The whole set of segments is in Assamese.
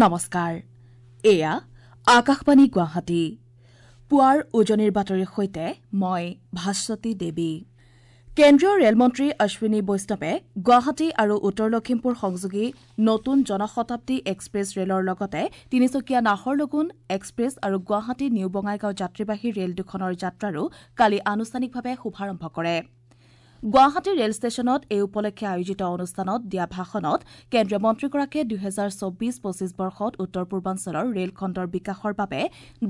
নমস্কাৰ, এয়া আকাশবাণী গুৱাহাটী। পুৱাৰ উজনিৰ বাতৰিৰ সৈতে মই ভাস্বতী দেৱী। কেন্দ্ৰীয় ৰেলমন্ত্ৰী অশ্বিনী বৈষ্ণৱে গুৱাহাটী আৰু উত্তৰ লখিমপুৰ সংযোগী নতুন জনশতাব্দী এক্সপ্ৰেছ ৰেলৰ লগতে তিনিচুকীয়া নাহৰলগুন এক্সপ্ৰেছ আৰু গুৱাহাটী নিউ বঙাইগাঁও যাত্ৰীবাহী ৰেল দুখনৰ যাত্ৰাৰো কালি আনুষ্ঠানিকভাৱে শুভাৰম্ভ কৰে। গুৱাহাটী ৰেল ষ্টেচনত এই উপলক্ষে আয়োজিত অনুষ্ঠানত দিয়া ভাষণত কেন্দ্ৰীয় মন্ত্ৰীগৰাকীয়ে ২০২৪-২৫ বৰ্ষত উত্তৰ পূৰ্বাঞ্চলৰ ৰেল খণ্ডৰ বিকাশৰ বাবে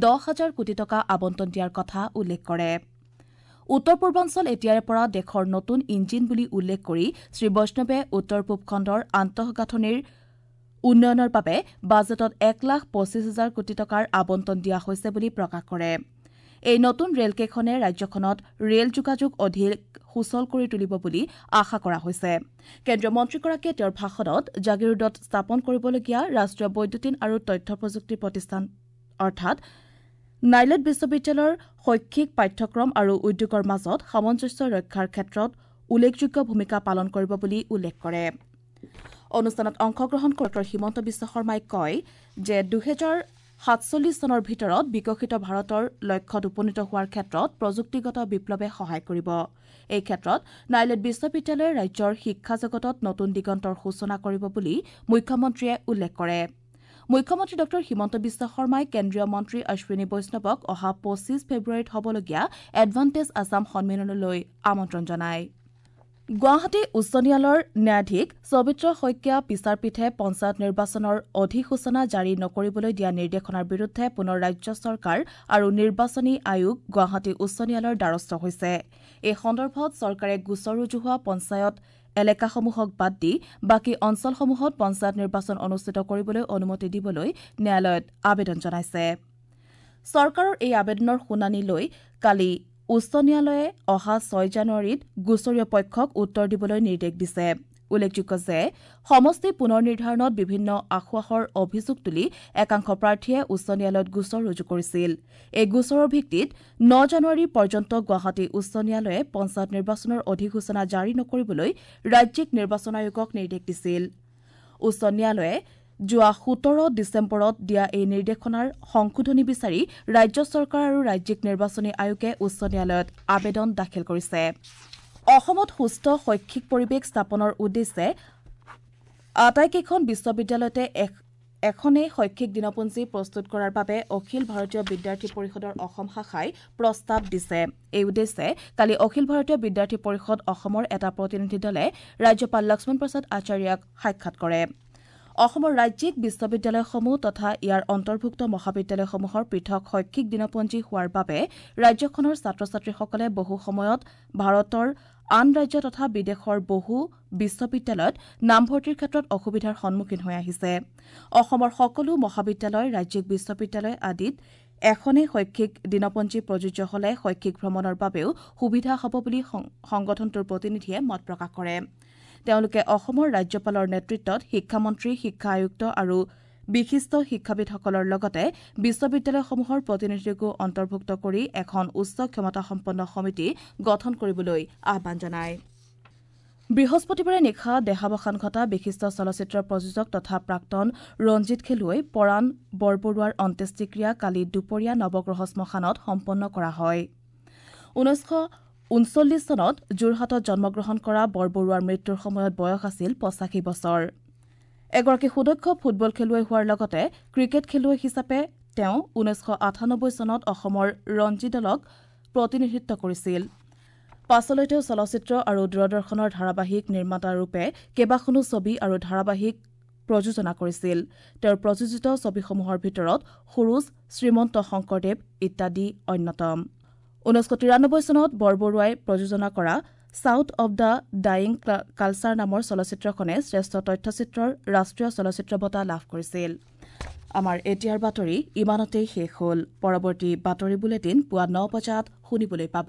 ১০ হাজাৰ কোটি টকা আবণ্টন দিয়াৰ কথা উল্লেখ কৰে। উত্তৰ পূৰ্বাঞ্চল এতিয়াৰে পৰা দেশৰ নতুন ইঞ্জিন বুলি উল্লেখ কৰি শ্ৰীবৈষ্ণৱে উত্তৰ পূব খণ্ডৰ আন্তঃগাঁথনিৰ উন্নয়নৰ বাবে বাজেটত ১ লাখ ২৫ হাজাৰ কোটি টকাৰ আবণ্টন দিয়া হৈছে বুলি প্ৰকাশ কৰে। এই নতুন ৰেলকেইখনে ৰাজ্যখনত ৰেল যোগাযোগ অধিক সুচল কৰি তুলিব বুলি আশা কৰা হৈছে। কেন্দ্ৰীয় মন্ত্ৰীগৰাকীয়ে তেওঁৰ ভাষণত জাগীৰোডত স্থাপন কৰিবলগীয়া ৰাষ্ট্ৰীয় বৈদ্যুতিন আৰু তথ্য প্ৰযুক্তি প্ৰতিষ্ঠান অৰ্থাৎ নাইলেট বিশ্ববিদ্যালয়ৰ শৈক্ষিক পাঠ্যক্ৰম আৰু উদ্যোগৰ মাজত সামঞ্জস্য ৰক্ষাৰ ক্ষেত্ৰত উল্লেখযোগ্য ভূমিকা পালন কৰিব বুলি উল্লেখ কৰে। অনুষ্ঠানত অংশগ্ৰহণ কৰি ডঃ হিমন্ত বিশ্ব শৰ্মাই কয় যে ২০৪৭ চনৰ ভিতৰত বিকশিত ভাৰতৰ লক্ষ্যত উপনীত হোৱাৰ ক্ষেত্ৰত প্ৰযুক্তিগত বিপ্লৱে সহায় কৰিব। এই ক্ষেত্ৰত নাইলেট বিশ্ববিদ্যালয়ে ৰাজ্যৰ শিক্ষা জগতত নতুন দিগন্তৰ সূচনা কৰিব বুলি মুখ্যমন্ত্ৰীয়ে উল্লেখ কৰে। মুখ্যমন্ত্ৰী ডঃ হিমন্ত বিশ্ব শৰ্মাই কেন্দ্ৰীয় মন্ত্ৰী অশ্বিনী বৈষ্ণৱক অহা ২৫ ফেব্ৰুৱাৰীত হ'বলগীয়া এডভান্টেজ আছাম সন্মিলনলৈ আমন্ত্ৰণ জনায়। গুৱাহাটী উচ্চ ন্যায়ালয়ৰ ন্যায়াধীশ সবিত্ৰ শইকীয়া বিচাৰপীঠে পঞ্চায়ত নিৰ্বাচনৰ অধিসূচনা জাৰি নকৰিবলৈ দিয়া নিৰ্দেশনাৰ বিৰুদ্ধে পুনৰ ৰাজ্য চৰকাৰ আৰু নিৰ্বাচনী আয়োগ গুৱাহাটী উচ্চ ন্যায়ালয়ৰ দ্বাৰস্থ হৈছে। এই সন্দৰ্ভত চৰকাৰে গোচৰ ৰুজু হোৱা পঞ্চায়ত এলেকাসমূহক বাদ দি বাকী অঞ্চলসমূহত পঞ্চায়ত নিৰ্বাচন অনুষ্ঠিত কৰিবলৈ অনুমতি দিবলৈ ন্যায়ালয়ত আবেদন জনাইছে। চৰকাৰৰ এই আবেদনৰ শুনানি লৈ কালি উচ্চ ন্যায়ালয়ে অহা ৬ জানুৱাৰীত গোচৰীয় পক্ষক উত্তৰ দিবলৈ নিৰ্দেশ দিছে। উল্লেখযোগ্য যে সমষ্টি পুনৰ নিৰ্ধাৰণত বিভিন্ন আসোঁৱাহৰ অভিযোগ তুলি একাংশ প্ৰাৰ্থীয়ে উচ্চ ন্যায়ালয়ত গোচৰ ৰুজু কৰিছিল। এই গোচৰৰ ভিত্তিত ৯ জানুৱাৰী পৰ্যন্ত গুৱাহাটী উচ্চ ন্যায়ালয়ে পঞ্চায়ত নিৰ্বাচনৰ অধিসূচনা জাৰি নকৰিবলৈ ৰাজ্যিক নিৰ্বাচন আয়োগক নিৰ্দেশ দিছিল। উচ্চ ন্যায়ালয়ে যোৱা ১৭ ডিচেম্বৰত দিয়া এই নিৰ্দেশনাৰ সংশোধনী বিচাৰি ৰাজ্য চৰকাৰ আৰু ৰাজ্যিক নিৰ্বাচনী আয়োগে উচ্চ ন্যায়ালয়ত আবেদন দাখিল কৰিছে। অসমত সুস্থ শৈক্ষিক পৰিৱেশ স্থাপনৰ উদ্দেশ্যে আটাইকেইখন বিশ্ববিদ্যালয়তে এখনেই শৈক্ষিক দিনপঞ্জী প্ৰস্তুত কৰাৰ বাবে অখিল ভাৰতীয় বিদ্যাৰ্থী পৰিষদৰ অসম শাখাই প্ৰস্তাৱ দিছে। এই উদ্দেশ্যে কালি অখিল ভাৰতীয় বিদ্যাৰ্থী পৰিষদ অসমৰ এটা প্ৰতিনিধি দলে ৰাজ্যপাল লক্ষ্মণ প্ৰসাদ আচাৰ্যক সাক্ষাৎ কৰে। অসমৰ ৰাজ্যিক বিশ্ববিদ্যালয়সমূহ তথা ইয়াৰ অন্তৰ্ভুক্ত মহাবিদ্যালয়সমূহৰ পৃথক শৈক্ষিক দিনপঞ্জী হোৱাৰ বাবে ৰাজ্যখনৰ ছাত্ৰ ছাত্ৰীসকলে বহু সময়ত ভাৰতৰ আন ৰাজ্য তথা বিদেশৰ বহু বিশ্ববিদ্যালয়ত নামভৰ্তিৰ ক্ষেত্ৰত অসুবিধাৰ সন্মুখীন হৈ আহিছে। অসমৰ সকলো মহাবিদ্যালয়, ৰাজ্যিক বিশ্ববিদ্যালয় আদিত এখনেই শৈক্ষিক দিনপঞ্জী প্ৰযোজ্য হলে শৈক্ষিক ভ্ৰমণৰ বাবেও সুবিধা হ'ব বুলি সংগঠনটোৰ প্ৰতিনিধিয়ে মত প্ৰকাশ কৰে। তেওঁলোকে অসমৰ ৰাজ্যপালৰ নেতৃত্বত শিক্ষামন্ত্ৰী, শিক্ষা আয়ুক্ত আৰু বিশিষ্ট শিক্ষাবিদসকলৰ লগতে বিশ্ববিদ্যালয়সমূহৰ প্ৰতিনিধিকো অন্তৰ্ভুক্ত কৰি এখন উচ্চ ক্ষমতাসম্পন্ন সমিতি গঠন কৰিবলৈ আহ্বান জনায়। বৃহস্পতিবাৰে নিশা দেহাৱসান ঘটা বিশিষ্ট চলচ্চিত্ৰ প্ৰযোজক তথা প্ৰাক্তন ৰঞ্জিত খেলুৱৈ পৰাণ বৰবৰুৱাৰ অন্ত্যেষ্টিক্ৰিয়া কালি দুপৰীয়া নৱগ্ৰহ শ্মশানত সম্পন্ন কৰা হয়। ১৯৩৯ চনত যোৰহাটত জন্মগ্ৰহণ কৰা বৰবৰুৱাৰ মৃত্যুৰ সময়ত বয়স আছিল ৮৫ বছৰ। এগৰাকী সুদক্ষ ফুটবল খেলুৱৈ হোৱাৰ লগতে ক্ৰিকেট খেলুৱৈ হিচাপে তেওঁ ১৯৯৮ চনত অসমৰ ৰঞ্জী দলক প্ৰতিনিধিত্ব কৰিছিল। পাছলৈ তেওঁ চলচ্চিত্ৰ আৰু দূৰদৰ্শনৰ ধাৰাবাহিক নিৰ্মাতাৰূপে কেইবাখনো ছবি আৰু ধাৰাবাহিক প্ৰযোজনা কৰিছিল। তেওঁৰ প্ৰযোজিত ছবিসমূহৰ ভিতৰত সুৰুজ, শ্ৰীমন্ত শংকৰদেৱ ইত্যাদি অন্যতম। ১৯৯৩ চনত বৰবৰুৱাই প্ৰযোজনা কৰা south of the dying culture নামৰ চলচ্চিত্ৰখনে শ্ৰেষ্ঠ তথ্যচিত্ৰৰ ৰাষ্ট্ৰীয় চলচ্চিত্ৰ বঁটা লাভ কৰিছিল। আমাৰ এতিয়াৰ বাতৰি ইমানতেই শেষ হ'ল। পৰৱৰ্তী বাতৰি বুলেটিন পুৱা ৯ বজাত শুনিবলৈ পাব।